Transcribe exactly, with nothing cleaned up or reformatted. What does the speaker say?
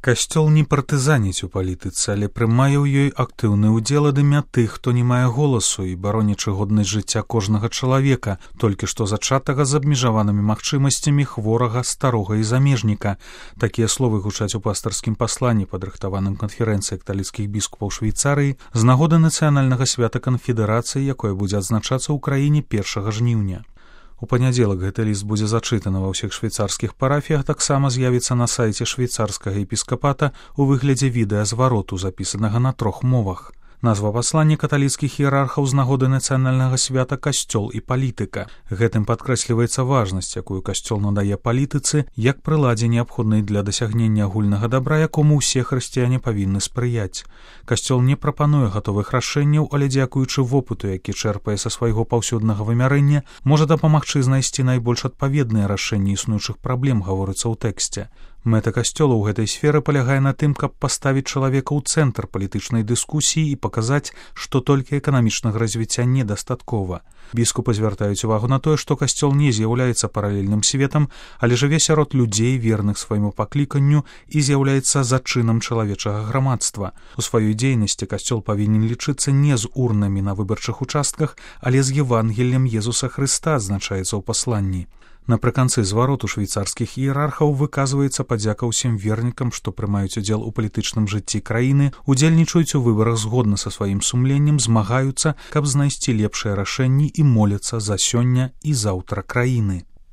Касцёл не партызаніць у палітыцы, але прымае ў ёй актыўны ўдзел ад імя тых, хто не мае голасу і баронячы годнасць жыцця кожнага чалавека, толькі што зачатага з абмежаванымі магчымасцямі хворага, старога і замежніка. Такія словы гучаць у пастарскім пасланні, падрыхтаваным канферэнцыяй каталіцкіх біскупаў Швейцарыі з нагоды нацыянальнага свята канфедэрацыі, якое будзе адзначацца ў краіне першага жніўня. У панядзелак гэты ліст будзе зачытаны ва ўсіх швейцарскіх парафіях, таксама з'явіцца на сайце швейцарскага епіскапата ў выглядзе відэазвароту, запісанага на трох мовах. Назва паслання каталіцкіх іерархаў з нагоды нацыянальнага свята «Касцёл і палітыка». Гэтым падкрэсліваецца важнасць, якую касцёл надае палітыцы, як прыладзе неабходнай для дасягнення агульнага дабра, якому ўсе хрысціяне павінны спрыяць. Касцёл не прапануе гатовых рашэнняў, але дзякуючы вопыту, які чэрпае са свайго паўсюднага вымярэння, можа дапамагчы знайсці найбольш адпаведныя рашэнні існуючых праблем, гаворыцца ў тэксце. Мэта касцёла ў гэтай сферы палягае на тым, каб паставіць чалавека ў цэнтр палітычнай дыскусіі і паказаць, што толькі эканамічнага развіцця недастаткова. Біскупы звяртаюць увагу на тое, што касцёл не з'яўляецца паралельным светам, але жыве сярод людзей, верных свайму пакліканню, і з'яўляецца зачынам чалавечага грамадства. У сваёй дзейнасці касцёл павінен лічыцца не з урнамі на выбарчых участках, але з Евангеллем Езуса Хрыста, адзначаецца ў пасланні. Напрыканцы звароту швейцарскіх іерархаў выказваецца падзяка ўсім вернікам, што прымаюць удзел у палітычным жыцці краіны, удзельнічаюць у выбарах згодна са сваім сумленнем, змагаюцца, каб знайсці лепшыя рашэнні і моляцца за сёння і заўтра краіны.